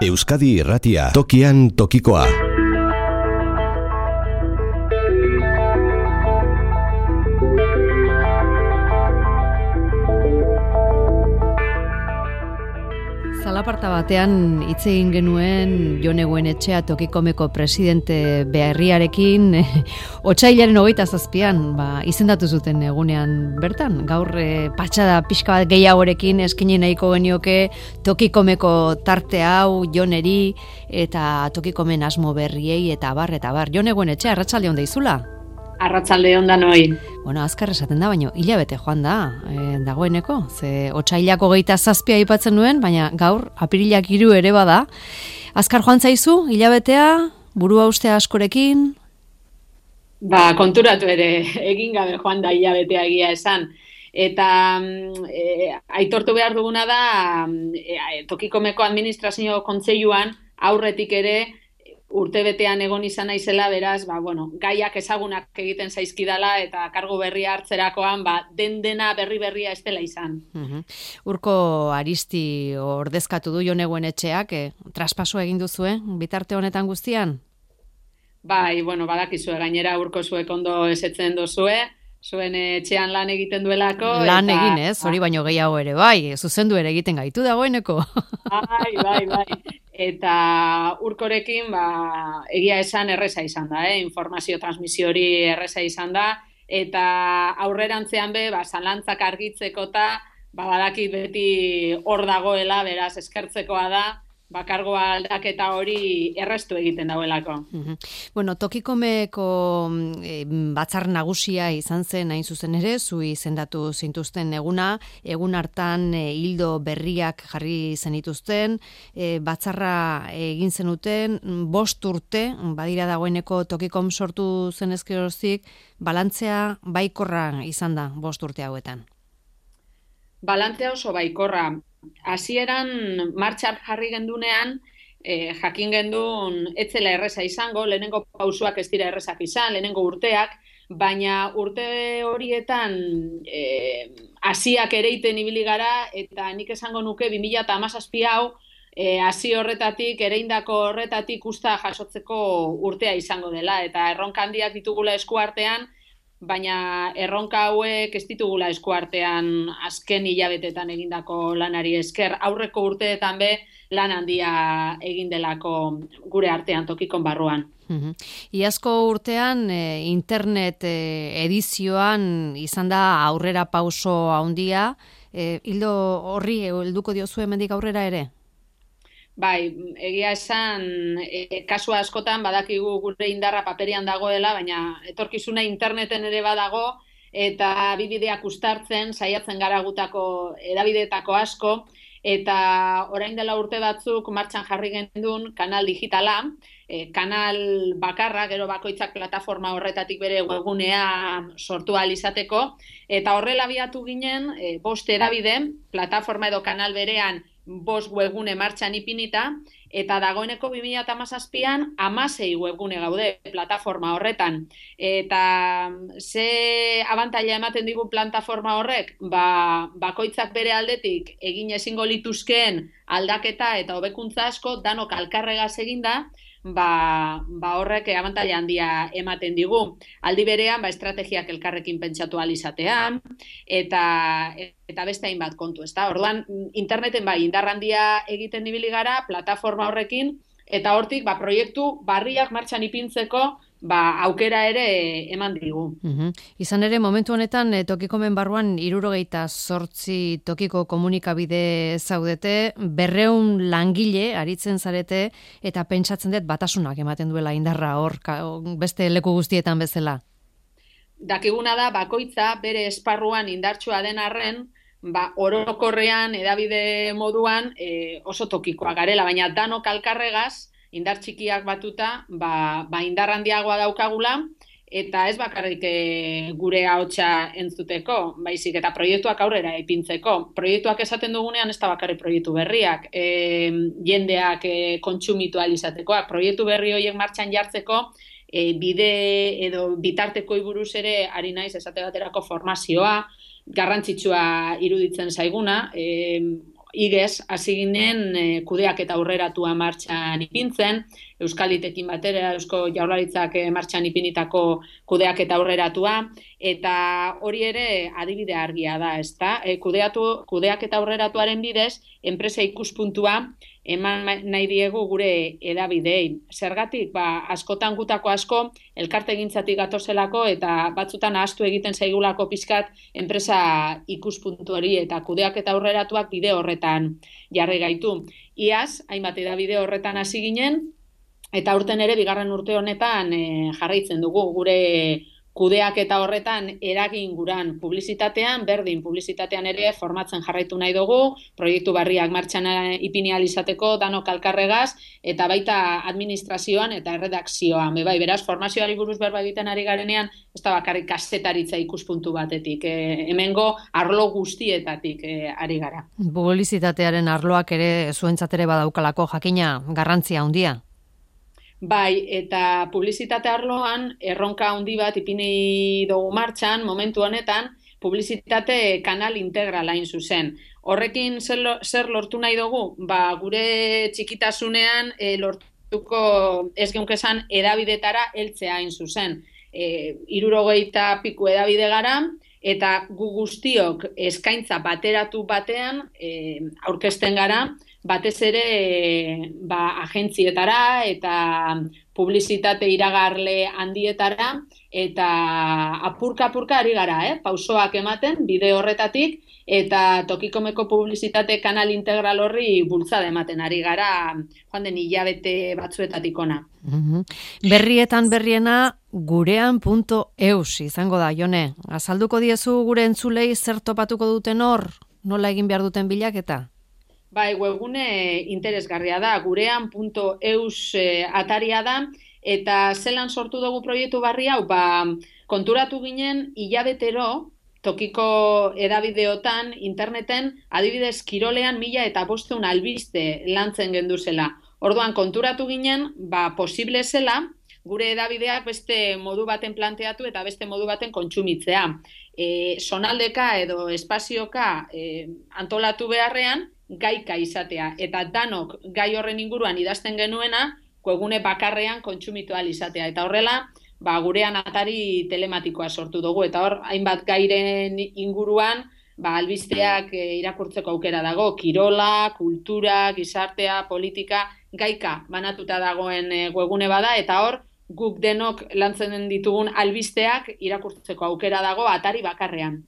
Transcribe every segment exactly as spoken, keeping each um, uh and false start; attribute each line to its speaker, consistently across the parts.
Speaker 1: Euskadi Irratia, tokian tokikoa.
Speaker 2: Zalaparta batean hitz egin genuen Jone Goenetxea Tokikomeko presidente berriarekin otsailaren hogeita zazpian ba, izendatu zuten egunean bertan. Gaur e, patxada pixka bat gehiagorekin eskaini nahiko genioke Tokikomeko tarte hau Joneri eta Tokikomen asmo berriei eta bar eta bar. Jone Goenetxea, arratsalde on deizula.
Speaker 3: Arratsalde on danoi.
Speaker 2: Bueno, azkar esaten da, baina hilabete joan da, e, dagoeneko. Ze otsailako hogeita zazpia aipatzen nuen, baina gaur apirilak hiru ere bada. Azkar joan zaizu, hilabetea, burua uste askorekin?
Speaker 3: Ba, konturatu ere, egin gabe joan da hilabetea egia esan. Eta e, aitortu behar duguna da, e, Tokikomeko administrazio kontseiluan aurretik ere, urtebetean egon izan naizela, beraz, ba, bueno, gaiak ezagunak egiten zaizkidala eta kargu berria hartzerakoan, ba, den dena berri berria ez dela izan.
Speaker 2: Uh-huh. Urko Aristi ordezkatu du Jone Goenetxeak, eh, traspaso egin duzue, bitarte honetan guztian?
Speaker 3: Bai, bueno, badakizue gainera urko zuek ondo esetzen dozue, zuen etxean lan egiten duelako.
Speaker 2: Lan
Speaker 3: eta,
Speaker 2: egin ez, hori baino gehiago ere, bai, zuzendu ere egiten gaitu dagoeneko.
Speaker 3: Bai, bai, bai. Eta urkorekin, ba, egia esan erreza izan da, eh? Informazio transmisio hori erreza izan da, eta aurrerantzean be, ba, zalantzak argitzeko eta ba, badakit beti hor dagoela, beraz, eskertzekoa da, bakargoa aldaketa hori errestu egiten dauelako.
Speaker 2: Uh-huh. Bueno, Tokikomeko e, batzar nagusia izan zen hain zuzen ere, zu izendatu zintuzten eguna, egun hartan e, hildo berriak jarri zenituzten, e, batzarra egin zenuten, bost urte, badira dagoeneko Tokikom sortu zen ezkerozik, balantzea baikorra izan da bost urte hauetan.
Speaker 3: Balantzea oso baikorra. Hasieran martxan jarri gendunean, eh, jakin gendun etzela erreza izango, lehenengo pausuak ez dira errezak izan, lehenengo urteak, baina urte horietan eh, hasiak ereiten ibili gara, eta nik esango nuke bi mila hamazazpi hau, eh, hasi horretatik, ereindako horretatik usta jasotzeko urtea izango dela, eta erronka handiak ditugula eskuartean, baina erronka hauek ez ditugula eskuartean azken hilabetetan egindako lanari esker, aurreko urteetan be lan handia egin delako gure artean Tokikon barruan.
Speaker 2: Uh-huh. Iazko urtean e, internet e, edizioan izan da aurrera pauso handia, e, hildo horri helduko diozu hemendik aurrera ere?
Speaker 3: Bai, egia esan, e, kasu askotan badakigu gure indarra paperian dagoela, baina etorkizuna interneten ere badago, eta bideak uztartzen, saiatzen gara gutako edabideetako asko, eta orain dela urte batzuk martxan jarri gendun kanal digitala, e, kanal bakarra, gero bakoitzak plataforma horretatik bere webgunea sortu ahal izateko, eta horrela abiatu ginen, e, bost edabide, plataforma edo kanal berean, bost webgune martxan ipinita, eta dagoeneko bi mila hamazazpian hamasei webgune gaude plataforma horretan. Eta ze abantaila ematen digu plataforma horrek? Ba, bakoitzak bere aldetik egin ezingo lituzkeen aldaketa eta hobekuntza asko danok alkarregaz eginda, ba, ba horrek abantaila handia ematen digu. Aldi berean, ba, estrategiak elkarrekin pentsatu ahal izatean, eta eta beste hainbat kontu, ezta? Orduan, interneten bai indar handia egiten ibili gara plataforma horrekin, eta hortik ba, proiektu barriak martxan ipintzeko ba, aukera ere eman digu.
Speaker 2: Uh-huh. Izan ere, momentu honetan, e, Tokikomen barruan hirurogeita zortzi tokiko komunikabide zaudete, berreun langile aritzen zarete, eta pentsatzen dut batasunak ematen duela indarra hor, beste leku guztietan bezala.
Speaker 3: Dakiguna da, bakoitza bere esparruan indartsua den arren, ba, orokorrean, edabide moduan e, oso tokikoa garela, baina danok alkarregaz, indar txikiak batuta, ba, ba indar handiagoa daukagula, eta ez bakarrik e, gure ahotsa entzuteko, baizik eta proiektuak aurrera ipintzeko. Proiektuak esaten dugunean ez da bakarrik proiektu berriak, e, jendeak e, kontsumitu ahal izatekoak, proiektu berri horiek martxan jartzeko, e, bide edo bitartekoi buruz ere ari naiz esate baterako formazioa, garrantzitsua iruditzen zaiguna, e, igez hasi ginen e, kudeak eta aurreratua martxan ipintzen, Euskalitekin batera, Eusko Jaurlaritzak martxan ipinitako kudeak eta aurreratua, eta hori ere adibide argia da, ezta? E, kudeatu, kudeak eta aurreratuaren bidez, enpresa ikuspuntua eman nahi diegu gure edabideei. Zergatik, ba, askotan gutako asko, elkartegintzatik gatozelako eta batzutan ahaztu egiten zaigulako pizkat enpresa ikuspuntu hori eta kudeak eta aurreratuak bide horretan jarri gaitu. Iaz, hainbat edabide horretan hasi ginen, eta urten ere, bigarren urte honetan e, jarraitzen dugu gure kudeak eta horretan eragin guran publizitatean, berdin publizitatean ere formatzen jarraitu nahi dugu, proiektu barriak martxan ipini ahal izateko, danok elkarregaz, eta baita administrazioan eta erredakzioan. Bai, beraz, formazioari buruz berba egiten ari garenean, ez da bakarrik kazetaritza ikuspuntu batetik, e, hemengo arlo guztietatik e, ari gara.
Speaker 2: Publizitatearen arloak ere zuentzat ere badaukalako jakina garrantzia handia.
Speaker 3: Bai, eta publizitate arloan erronka handi bat ipini dugu martxan, momentu honetan, publizitate kanal integral hain zuzen. Horrekin zer, zer lortu nahi dugu? Ba, gure txikitasunean e, lortuko ez geunkezan edabidetara heltzea hain zuzen. E, irurogeita piku edabide gara, eta gu guztiok eskaintza bateratu batean e, aurkezten gara, batez ere ba, agentzietara eta publizitate iragarle handietara eta apurka-apurka ari gara, eh? Pausoak ematen bide horretatik eta tokikomeko publizitate kanal integral horri bultzada ematen ari gara joan den hilabete batzuetatik ona.
Speaker 2: Mm-hmm. Berrietan berriena gurean puntu eus izango da, Jone. Azalduko diezu gure entzulei zer topatuko duten hor, nola egin behar duten bilaketa?
Speaker 3: Bai, webgune interesgarria da, gurean puntu eus e, ataria da, eta zelan sortu dugu proiektu barri hau, ba, konturatu ginen hilabetero, tokiko edabideotan, interneten, adibidez kirolean mila eta bosteun albiste lantzen genduzela. Orduan konturatu ginen, ba, posible zela, gure edabideak beste modu baten planteatu eta beste modu baten kontsumitzea. E, sonaldeka edo espazioka e, antolatu beharrean, gaika izatea, eta danok gai horren inguruan idazten genuena, webgune bakarrean kontsumitu ahal izatea, eta horrela, ba, gurean atari telematikoa sortu dugu, eta hor, hainbat gairen inguruan, ba, albisteak e, irakurtzeko aukera dago, kirola, kultura, gizartea, politika, gaika banatuta dagoen e, webgune bada, eta hor, guk denok lantzen ditugun albisteak irakurtzeko aukera dago atari bakarrean.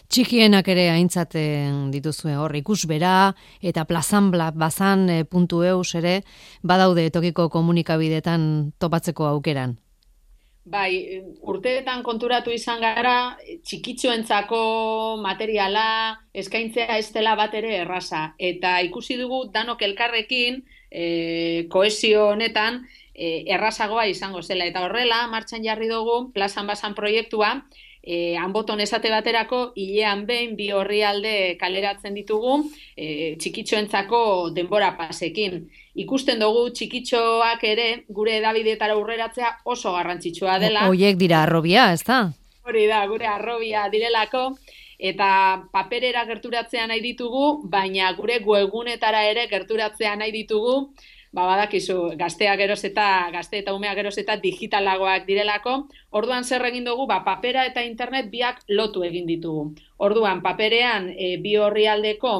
Speaker 2: Txikienak ere aintzaten dituzue hor, ikusbera eta plazanbla bazan puntu eus ere badaude tokiko komunikabidetan topatzeko aukeran.
Speaker 3: Bai, urteetan konturatu izan gara, txikitxoentzako materiala eskaintzea ez dela bat ere erraza. Eta ikusi dugu danok elkarrekin, e, kohesio honetan, e, errazagoa izango zela. Eta horrela, martxan jarri dugu, plazan bazan proiektua, E, hanboton esate baterako, hilean behin bi orrialde kaleratzen ditugu e, txikitxoentzako denbora pasekin. Ikusten dugu txikitxoak ere gure edabidetara aurreratzea oso garrantzitsua dela.
Speaker 2: Hoiek dira arrobia, ez da?
Speaker 3: Hori da, gure arrobia direlako, eta paperera gerturatzea nahi ditugu, baina gure webgunetara ere gerturatzea nahi ditugu, ba, badakizu, gazteak geroz eta, gazte eta umeak geroz eta digitalagoak direlako. Orduan zer egin dugu, ba, papera eta internet biak lotu egin ditugu. Orduan, paperean e, bi orrialdeko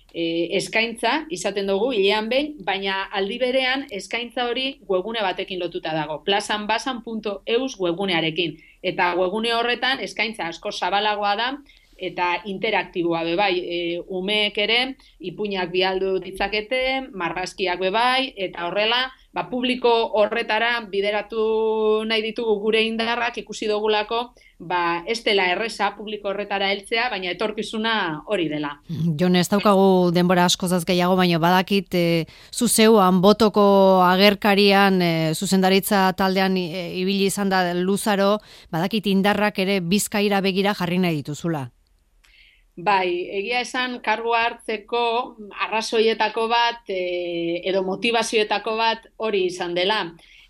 Speaker 3: e, eskaintza izaten dugu, hilean behin, baina aldi berean eskaintza hori webgune batekin lotuta dago. plazanbasan puntu eus webgunearekin. Eta webgune horretan eskaintza asko zabalagoa da, eta interaktiboa bebai, e, umeek ere, ipuinak bialdu ditzakete, marrazkiak bebai, eta horrela, ba, publiko horretara bideratu nahi ditugu gure indarrak ikusi dugulako, ba, ez dela erreza publiko horretara heltzea, baina etorkizuna hori dela.
Speaker 2: Jon, ez daukagu denbora askozaz gehiago, baina badakit, e, zuzeuan botoko agerkarian, e, zuzendaritza taldean e, ibili izan da luzaro, badakit indarrak ere Bizkaira begira jarri nahi dituzula.
Speaker 3: Bai, egia esan kargua hartzeko arrazoietako bat e, edo motivazioetako bat hori izan dela.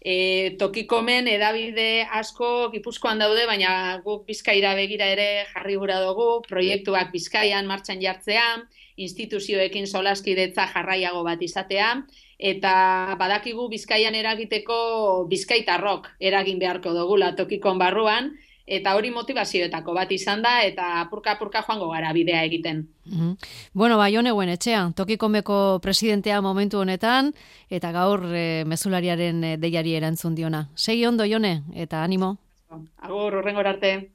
Speaker 3: E, tokikomen edabide asko Gipuzkoan daude, baina guk Bizkaira begira ere jarri gura dugu, proiektuak Bizkaian martxan jartzea, instituzioekin solaskidetza jarraiago bat izatea, eta badakigu Bizkaian eragiteko bizkaitarrok eragin beharko dugula tokikon barruan, eta hori motivazioetako bat izan da, eta apurka-apurka joango gara bidea egiten.
Speaker 2: Mm-hmm. Bueno, ba, Jone Goenetxea, Tokikomeko presidentea momentu honetan, eta gaur e, mezulariaren deiari erantzun diona. Segi ondo, Jone, eta animo.
Speaker 3: Agur, hurrengora arte.